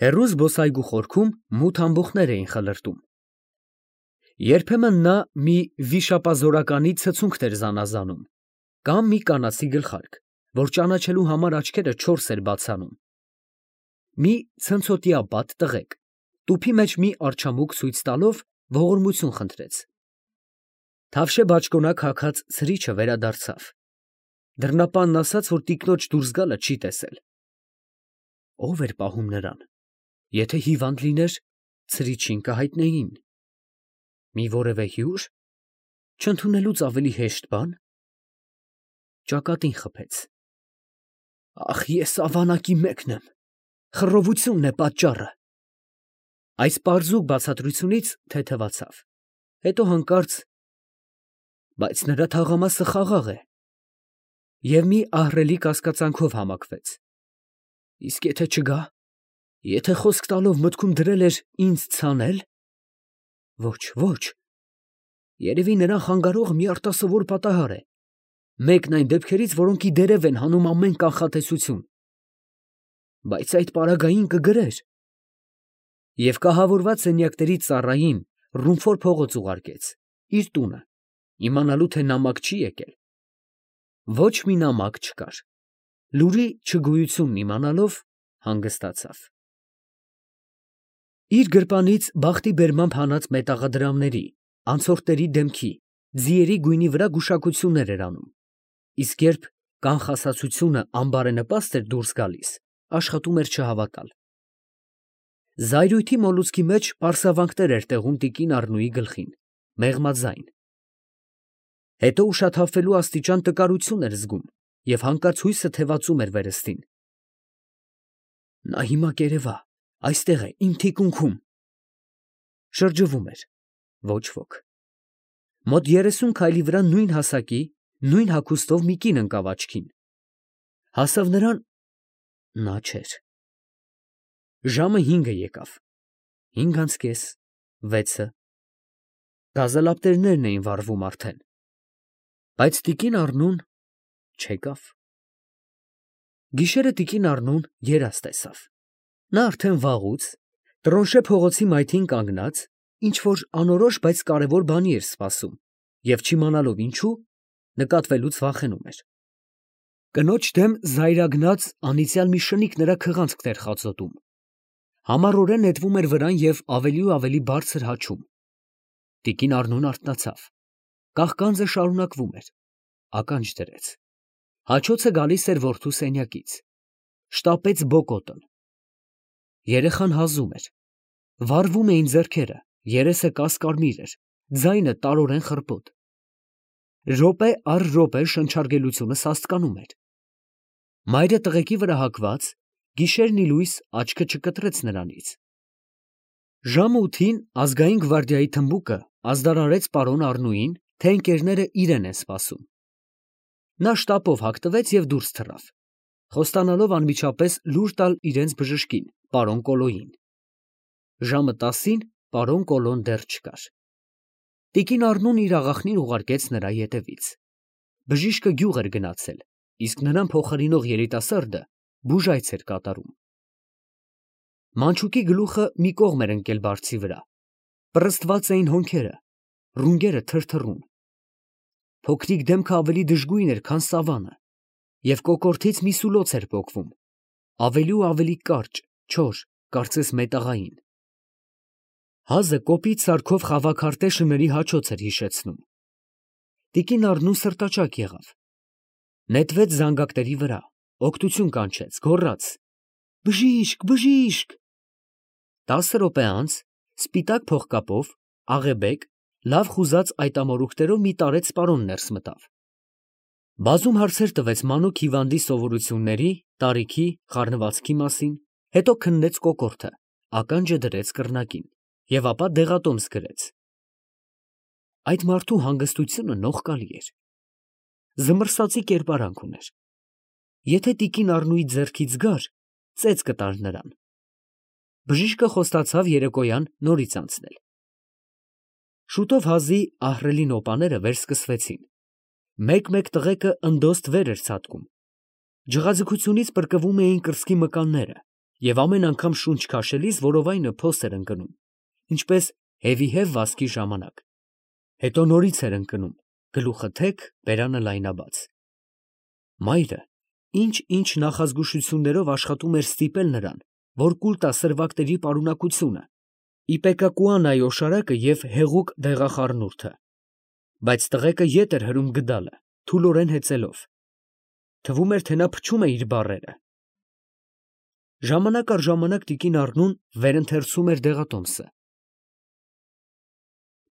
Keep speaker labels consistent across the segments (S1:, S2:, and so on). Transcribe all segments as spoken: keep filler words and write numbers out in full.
S1: Հեռու զբոսայգու խորքում մութ ամբոխներ էին խլրտում։ Երբեմն նա մի վիշապազորականի ցցունքն էր զանազանում, կամ մի կանացի գլխարկ, որ ճանաչելու համար աչքերը չորս էր բաց անում։ Մի ցնցոտիա բադ տղեկ, տուփի մեջ մի արջամուկ ցույց տալով, ողորմություն խնդրեց։ Թավշե բաճկոնակ հագած ցրիչը վերադարձավ։ Դռնապանն ասաց, որ տիկնոջ դուրս գալը չի տեսել։ Ո՞վ էր պահում նրան։ Եթե հիվանդ լիներ, ցրիչին կհայտնեին։ Մի որևէ հյուր, չընդունելուց ավելի հեշտ բան։ Ճակատին խփեց։ Ախ, ես ավանակի մեկն եմ, խռովությունն է պատճառը։ Այս պարզուկ բացատրությունից թեթևացավ, հետո հանկարծ, բայց նրա թաղամասը խաղաղ է, և մի ահռելի կասկածանքով համակվեց։ Իսկ եթե չգա, եթե խոսք տալով մտքում դրել էր ինձ ցանել, ոչ, ոչ, երևի նրան խանգարողը մի արտասովոր պատահար է, մեկն այն դեպքերից, որոնք ի դերև են հանում ամեն կանխատեսություն, բայց այդ պարագային կգրեր։ Եվ կահավորված սենյակների ծառային ռումֆոր փողոց ուղարկեց, իր տունը, իմանալու, թե նամակ չի եկել։ Ոչ մի նամակ չկար, լուրի չգոյությունն իմանալով հանգստացավ։ Իր գրպանից բախտի բերմամբ հանած մետաղադրամների, անցորդների դեմքի, ձիերի գույնի վրա գուշակություններ էր անում, իսկ երբ կանխասացությունը անբարենպաստ էր դուրս գալիս, աշխատում էր չհավատալ։ Զայրույթի մոլուցքի մեջ պարսավանքներ էր տեղում տիկին Առնուի գլխին, մեղմաձայն։ Հետո ուշաթափվելու աստիճան տկարություն էր զգում և հանկարծ հույսը թևածում էր վերստին։ Նա հիմա կերևա, այստեղ է, իմ թիկունքում։ Շրջվում էր, ոչ ոք։ Մոտ երեսուն քայլի վրա նույն հասակի, նույն հագուստով մի կին ընկավ աչքին։ Հասավ նրան, նա չէր։ Ժամը հինգը եկավ, հինգ անց կես, վեցը, գազալապտերներն էին վառվում արդեն, բայց տիկին Առնուն չեկավ։ Գիշերը տիկին Առնուն երազ տեսավ։ Նա արդեն վաղուց, Տրոնշե փողոցի մայթին կանգնած, ինչ-որ անորոշ, բայց կարևոր բանի էր սպասում և չիմանալով ինչու, նկատվելուց վախենում էր։ Կնոջ դեմ զայրագնաց անիծյալ մի շնիկ նրա քղանցքն էր խածոտում։ Համառորեն նետվում էր վրան և ավելի ու ավելի բարձր հաչում։ Տիկին Առնուն արթնացավ։ Կաղկանձը շարունակվում էր, ականջ դրեց։ Հաչոցը գալիս էր որդու սենյակից։ Շտապեց բոկոտն։ Երեխան հազում էր։ Վառվում էին ձեռքերը, երեսը կասկարմիր էր, ձայնը տարորեն խռպոտ։ Րոպե առ րոպե շնչարգելությունը սաստկանում էր։ Մայրը տղեկի վրա հագված, գիշերն ի լույս աչքը չկտրեց նրանից։ Ժամը ութին ազգային գվարդիայի թմբուկը ազդարարեց պարոն Առնուին, թե ընկերները իրեն են սպասում։ Նա շտապով հագտվեց և դուրս թռավ, խոստանալով անմիջապես լուր տալ իրենց բժշկին, պարոն Կոլոյին։ Ժամը տասին պարոն Կոլոն դեռ չկար։ Տիկին Առնուն իր աղախնին ուղարկեց նրա ետևից։ Բժիշկը գյուղ էր գնացել, իսկ նրան փոխարինող երիտասարդը բուժայց էր կատարում։ Մանչուկի գլուխը մի կողմ էր ընկել բարձի վրա, պռստված էին հոնքերը, ռունգերը թրթռուն։ Փոքրիկ դեմքը ավելի դժգույն էր, քան սավանը, և կոկորդից մի սուլոց էր պոկվում, ավելի ու ավելի կարճ, չոր, կարծես մետաղային։ Հազը կոպիտ սարքով խավաքարտե շների հաչոց էր հիշեցնում։ Տիկին Առնուն սրտաճակ եղավ։ Նետվեց զանգակների վրա, օգնություն կանչեց, գոռաց. «Բժիշկ, բժիշկ»։ Տասը րոպե անց սպիտակ փողկապով, աղեբեկ, լավ խուզած այտամորուքներով մի տարեց պարոն ներս մտավ։ Բազում հարցեր տվեց մանուկ հիվանդի սովորությունների, տարիքի, խառնվածքի մասին, հետո քննեց կոկորդը, ականջը դրեց կռնակին և ապա դեղատոմս գրեց։ Այդ մարդու հանգստությունը նողկալի էր։ Զմռսածի կերպարանք ուներ։ Եթե տիկին Առնուի ձեռքից գար, ծեծ կտար նրան։ Բժիշկը խոստացավ երեկոյան նորից անցնել։ Շուտով հազի ահռելի նոպաները վերսկսվեցին։ Մեկ֊մեկ տղեկը ընդոստ վեր էր ցատկում։ Ջղաձգությունից պրկվում էին կրծքի մկանները և ամեն անգամ շունչ քաշելիս որովայնը փոս էր ընկնում, ինչպես հևիհև վազքի ժամանակ, հետո նորից էր ընկնում, գլուխը թեք, բերանը լայնաբաց։ Մայրը ինչ֊ինչ նախազգուշություններով աշխատում էր ստիպել նրան, որ կուլ տա սրվակների պարունակությունը, իպեկակուանայի օշարակը և հեղուկ դեղախառնուրդը, բայց տղեկը ետ էր հրում գդալը, թուլորեն հեծելով. թվում էր, թե նա փչում է իր բառերը։ Ժամանակ առ ժամանակ տիկին Առնուն վերընթերցում էր դեղատոմսը։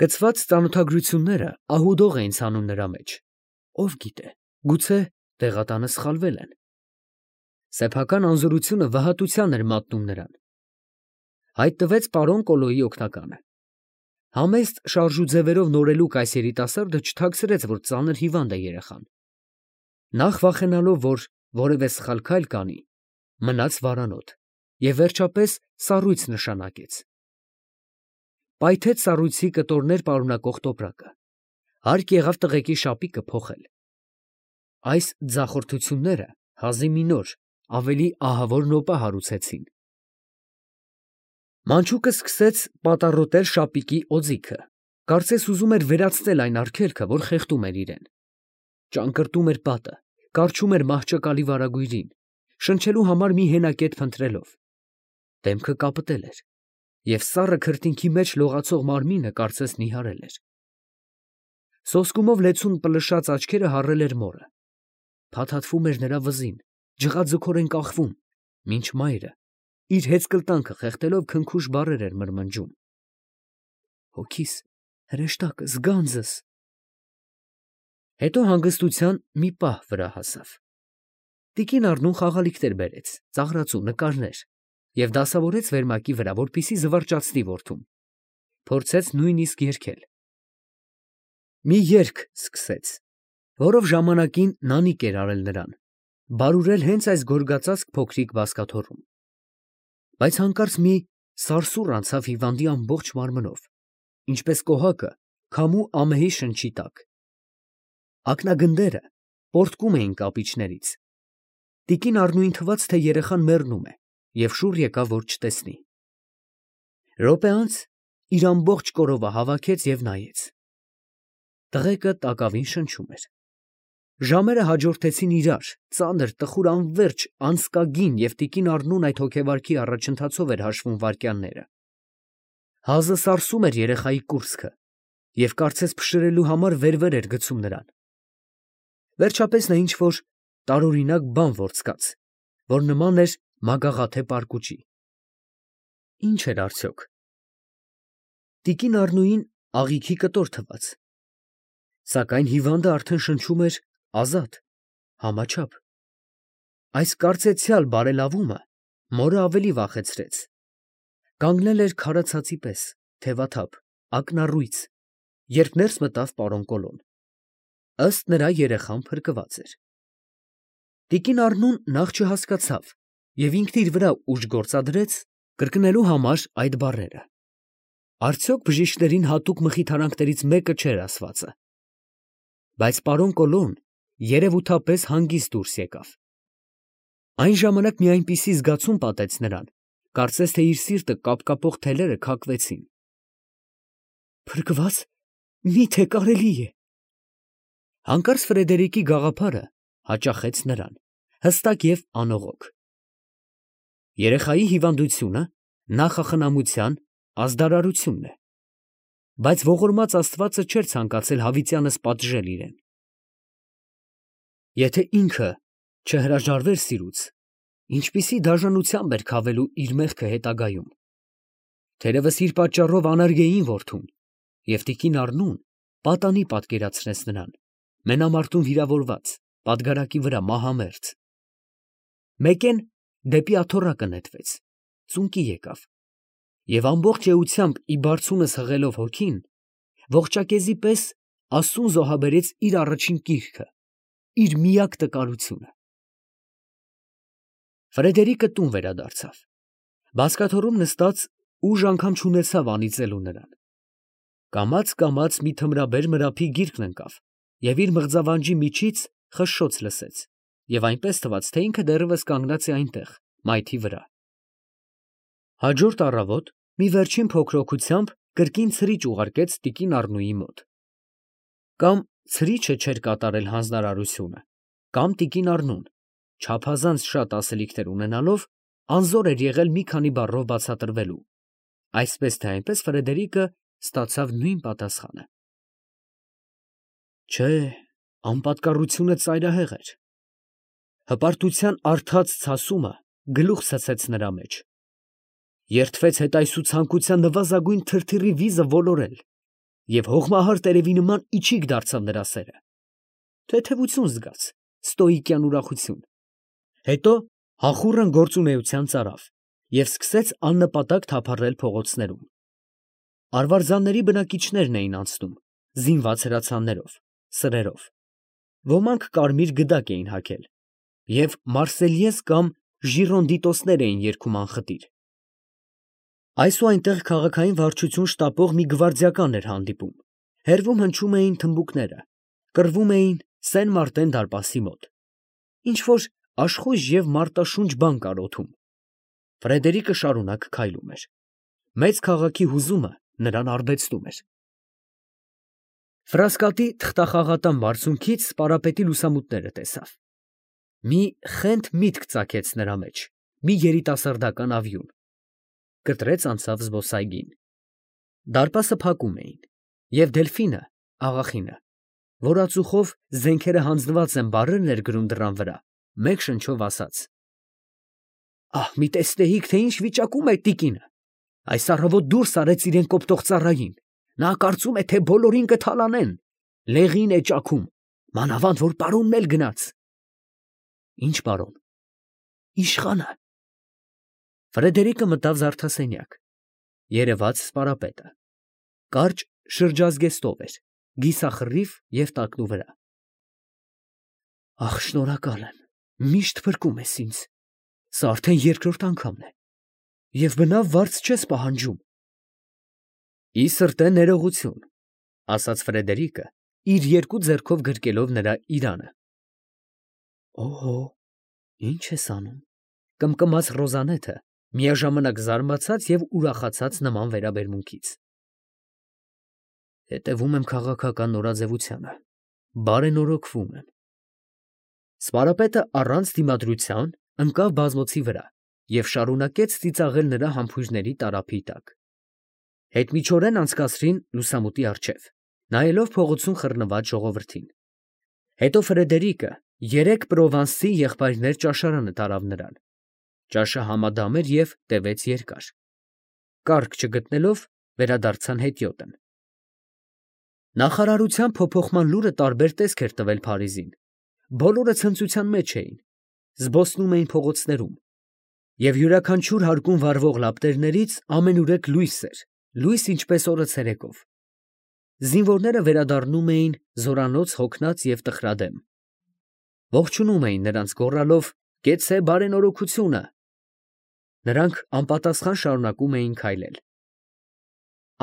S1: Կցված ծանոթագրությունները ահուդող էին ցանում նրա մեջ, ով գիտե, գուցե տեղատանը սխալվել են։ Սեփական անզորությունը վհատության էր մատնում նրան։ Հայտնվեց պարոն Կոլոյի օգնականը։ Համեստ շարժուձևերով նորելուկ այս երիտասարդը չթաքցրեց, որ ծանր հիվանդ է երեխան։ Նախ վախենալով, որ որևէ սխալ քայլ կանի, մնաց վարանոտ և վերջապես սառույց նշանակեց։ Պայթեց սառույցի կտորներ պարունակող տոպրակը, հարկ եղավ տղեկի շապիկը փոխել։ Այս ձախորդությունները հազիվ մի նոր, ավելի ահավոր նոպա հարուցեցին։ Մանչուկը սկսեց պատառոտել շապիկի օձիքը, կարծես ուզում էր վերացնել այն արգելքը, որ խեղդում էր իրեն։ Ճանկռտում էր պատը, կառչում էր մահճակալի վարագույրին, շնչելու համար մի հենակետ փնտրելով։ Դեմքը կապտել էր, և սառը քրտինքի մեջ լողացող մարմինը կարծես նիհարել էր։ Սոսկումով լեցուն պլշած աչքերը հառել էր մորը, փաթաթվում էր նրա վզին, ջղաձգորեն կախվում, մինչ մայրը իր հեծկլտանքը խեղդելով քնքուշ բառեր էր մրմնջում. հոգիս, հրեշտակս, գանձս… Հետո հանգստության մի պահ վրա հասավ։ Տիկին Առնուն խաղալիքներ բերեց, ծաղրածու, նկարներ և դասավորեց վերմակի վրա, որպեսզի զվարճացնի որդուն, փորձեց նույնիսկ երգել։ Մի երգ սկսեց, որով ժամանակին նանիք էր արել նրան, բարուրել հենց այս գորգածածկ փոքրիկ բազկաթոռում։ Բայց հանկարծ մի սարսուռ անցավ հիվանդի ամբողջ մարմնով, ինչպես կոհակը քամու ամեհի շնչի տակ։ Ակնագնդերը պոռթկում էին կապիճներից։ Տիկին Առնուին թվաց, թե երեխան մեռնում է, և շուռ եկավ, որ չտեսնի։ Րոպե անց իր ամբողջ կորովը հավաքեց և նայեց։ Տղեկը տակավին շնչում էր։ Ժամերը հաջորդեցին իրար, ծանր, տխուր, անվերջ, անձկագին, և տիկին Առնուն այդ հոգեվարքի առաջընթացով էր հաշվում վայրկյանները։ Հազը սարսում էր երեխայի կուրծքը և կարծես փշրելու համար վեր֊վեր էր գցում նրան։ Վերջապես նա ինչ֊որ տարօրինակ բան որսկաց, որ նման էր մագաղաթե պարկուճի։ Ի՞նչ էր արդյոք։ Տիկին Առնուին աղիքի կտոր թվաց, սակայն հիվանդը արդեն շնչում էր ազատ, համաչափ։ Այս կարծեցյալ բարելավումը մորը ավելի վախեցրեց։ Կանգնել էր քարացածի պես, թևաթափ, ակնառույց, երբ ներս մտավ պարոն Կոլոն։ Ըստ նրա, երեխան փրկված էր։ Տիկին Առնուն նախ չհասկացավ և ինքն իր վրա ուժ գործադրեց կրկնելու համար այդ բառերը։ Արդյոք բժիշկներին հատուկ մխիթարանքներից մեկը չէր ասվածը։ Բայց պարոն Կոլոն երևութապես հանգիստ դուրս եկավ։ Այն ժամանակ մի այնպիսի զգացում պատեց նրան, կարծես թե իր սիրտը կապկապող թելերը քակվեցին։ Փրկվա՞ծ, մի՞թե կարելի է։ Հանկարծ Ֆրեդերիկի գաղափարը հաճախեց նրան, հստակ և անողոք։ Երեխայի հիվանդությունը նախախնամության ազդարարությունն է, բայց ողորմած Աստվածը չէր ցանկացել հավիտյանս պատժել իրեն։ Եթե ինքը չհրաժարվեր սիրուց, ինչպիսի դաժանությամբ էր քավելու իր մեղքը հետագայում։ Թերևս իր պատճառով անարգեին որդուն, և տիկին Առնուն պատանի պատկերացրեց նրան, մենամարտում վիրավորված, պատգարակի վրա մահամերձ։ Մեկեն դեպի աթոռակը նետվեց, ծունկի եկավ, և ամբողջ էությամբ ի բարձունս հղելով հոգին, ողջակեզի պես աստծուն զոհաբերեց իր առաջին կիրքը, իր միակ տկարությունը։ Ֆրեդերիկը տուն վերադարձավ։ Բազկաթոռում նստած ուժ անգամ չունեցավ անիծելու նրան։ Կամաց֊կամաց մի թմրաբեր մրափի գիրկն ընկավ և իր մղձավանջի միջից խշշոց լսեց, և այնպես թվաց, թե ինքը դեռևս կանգնած է այնտեղ, մայթի վրա։ Հաջորդ առավոտ մի վերջին փոքրօգությամբ կրկին ցրիչ ուղարկեց տիկին Առնուի մոտ։ Կամ ցրիչը չէր կատարել հանձնարարությունը, կամ տիկին Առնուն, չափազանց շատ ասելիքներ ունենալով, անզոր էր եղել մի քանի բառով բացատրվելու, այսպես թե այնպես Ֆրեդերիկը ստացավ նույն պատասխանը. Չէ, անպատկառությունը ծայրահեղ էր։ Հպարտության արդած ցասումը գլուխ ցցեց նրա մեջ, երդվեց հետայսու ցանկության նվազագույն թրթիռի վիզը ոլորել, և հողմահար տերևի նման իչիք դարձավ նրա սերը, թեթևություն զգաց, ստոիկյան ուրախություն, հետո հախուռն գործունեության ծարավ և սկսեց աննպատակ թափառել փողոցներում. արվարձանների բնակիչներն էին անցնում, զինված հրացաններով, սրերով, ոմանք կարմիր գդակ էին հագել և մարսելյեզ կամ ժիրոնդիտոսներ էին երգում անխտիր։ Այս ու այնտեղ քաղաքային վարչություն շտապող մի գվարդիական էր հանդիպում, հեռվում հնչում էին թմբուկները, կռվում էին Սեն֊Մարտեն դարպասի մոտ, ինչ֊որ աշխույժ և մարտաշունչ բան կար օդում։ Ֆրեդերիկը շարունակ քայլում էր։ Մեծ քաղաքի հուզումը նրան արբեցնում էր։ Ֆրասկատի թղթախաղատան բարձունքից պարապետի լուսամուտները տեսավ։ Մի խենթ միտք ծագեց նրա մեջ, մի երիտասարդական ավյուն։ Կտրեց անցավ զբոսայգին։ Դարպասը փակում էին, և Դելֆինը, աղախինը, որ ածուխով զենքերը հանձնված են բառեր ներգրում դռան վրա, մեկ շնչով ասաց. «Ահ, մի տեսնեիք, թե ինչ վիճակում է տիկինը. այս առավոտ դուրս արեց իրան կոպտող ծառային, նա կարծում է, թե բոլորին կթալանեն, լեղին է ճաքում, մանավանդ որ պարոնն էլ գնաց»։ Ի՞նչ պարոն։ Իշխանը։ Ֆրեդերիկը մտավ զարդասենյակ, երևաց սպարապետը, կարճ շրջազգեստով էր, կիսախռիվ և տակնուվրա։ Ախ, շնորհակալ եմ, միշտ փրկում ես ինձ, սա արդեն երկրորդ անգամն է, և բնավ վարձ չես պահանջում։ Ի սրտե ներողություն, ասաց Ֆրեդերիկը, իր երկու ձեռքով գրկելով նրա իրանը։ Օհո, ի՞նչ ես անում, կմկմաց Ռոզանեթը, միաժամանակ զարմացած և ուրախացած նման վերաբերմունքից։ Հետևում եմ քաղաքական նորաձևությանը, բարենորոգվում եմ։ Սպարապետը առանց դիմադրության ընկավ բազմոցի վրա և շարունակեց ծիծաղել նրա համբույրների տարափի տակ։ Հետմիջորեն անցկացրին լուսամուտի առջև, նայելով փողոցում խռնված ժողովրդին։ Հետո Ֆրեդերիկը երեք պրովանսցի եղբայրներ ճաշարանը տարավ նրան։ Ճաշը համադամ էր և տևեց երկար։ Կառք չգտնելով, վերադարձան հետիոտն։ Նախարարության փոփոխման լուրը տարբեր տեսք էր տվել Փարիզին։ Բոլորը ցնծության մեջ էին, զբոսնում էին փողոցներում, և յուրաքանչյուր հարկում վառվող լապտերներից ամենուրեք լույս էր, լույս ինչպես օրը ցերեկով։ Զինվորները վերադառնում էին զորանոց հոգնած և տխրադեմ։ Ողջունում էին նրանց գոռալով. «Կեցցե բարենորոգությունը»։ Նրանք անպատասխան շարունակում էին քայլել։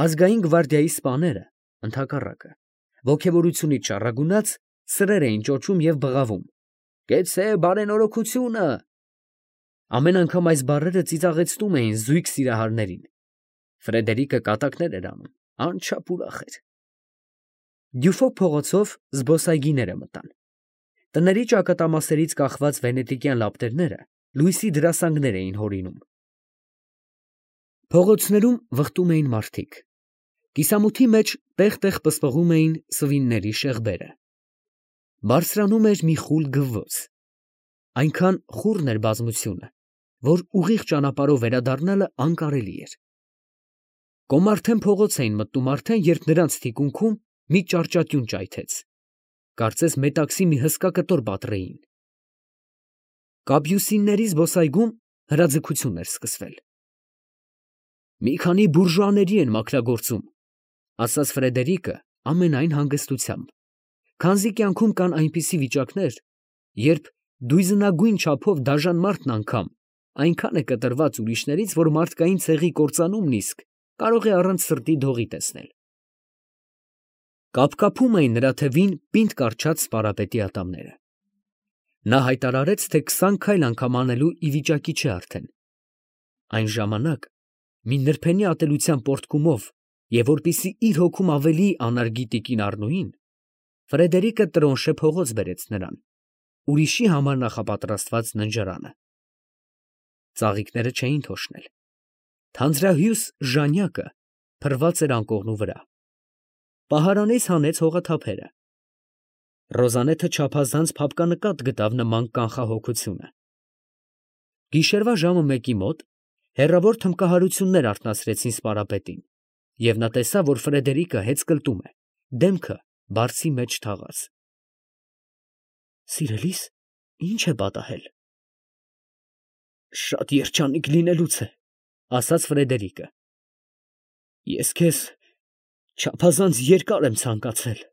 S1: Ազգային գվարդիայի սպաները, ընդհակառակը, ոգևորությունից շառագունած, սրեր էին ճոճում և բղավում. «Կեցցե բարենորոգությունը»։ Ամեն անգամ այս բառերը ծիծաղեցնում էին զույգ սիրահարներին։ Ֆրեդերիկը կատակներ էր անում, անչափ ուրախ էր։ Դյուֆոկ փողոցով զբոսայգիները մտան։ Տների ճակատամասերից կախված վենետիկյան լապտերները լույսի դրասանգներ էին հորինում։ Փողոցներում վխտում էին մարդիկ։ Կիսամութի մեջ տեղ֊տեղ պսպղում էին սվինների շեղբերը։ Բարձրանում էր մի խուլ գվվոց։ Այնքան խուռն էր բազմությունը, որ ուղիղ ճանապարհով վերադառնալը անկարելի էր։ Կոմարթեն փողոց էին մտնում արդեն, երբ նրանց թիկունքում մի ճարճատյուն ճայթեց։ Կարծես մետաքսի մի հսկա կտոր պատռեին։ Կապյուսինների զբոսայգում հրաձգություն էր սկսվել։ «Մի քանի բուրժուաների են մաքրագործում», ասաց Ֆրեդերիկը ամենայն հանգստությամբ, քանզի կյանքում կան այնպիսի վիճակներ, երբ դույզնագույն չափով դաժան մարդն անգամ այնքան է կտրված ուրիշներից, որ մարդկային ցեղի կործանումն իսկ կարող է առանց սրտի դողի տեսնել։ Կապկապում էին նրա թևին պինդ կառչած սպարապետի ատամները։ Նա հայտարարեց, թե քսան քայլ անգամ անելու ի վիճակի չէ արդեն։ Այն ժամանակ, մի նրբենի ատելության պոռթկումով և որպեսզի իր հոգում ավելի անարգի տիկին Առնոյին, Ֆրեդերիկը տրոնշե փողոց բերեց նրան, ուրիշի համար նախապատրաստված ննջարանը. ծաղիկները չէին թոշնել, թանձրահյուս ժանյակը փռված էր անկողնու վրա, պահարանից հանեց հողաթափերը, Ռոզանեթը չափազանց փափկանկատ գտավ նման կանխահոգությունը։ Գիշերվա ժամը մեկի մոտ հեռավոր թմբկահարություններ արթնացրեցին սպարապետին, և նա տեսավ, որ Ֆրեդերիկը հեծկլտում է, դեմքը բարձի մեջ թաղած։ Սիրելի՛ս, ի՞նչ է պատահել։ Շատ երջանիկ լինելուց է, ասաց Ֆրեդերիկը։ Ես քեզ չափազանց երկար եմ ցանկացել։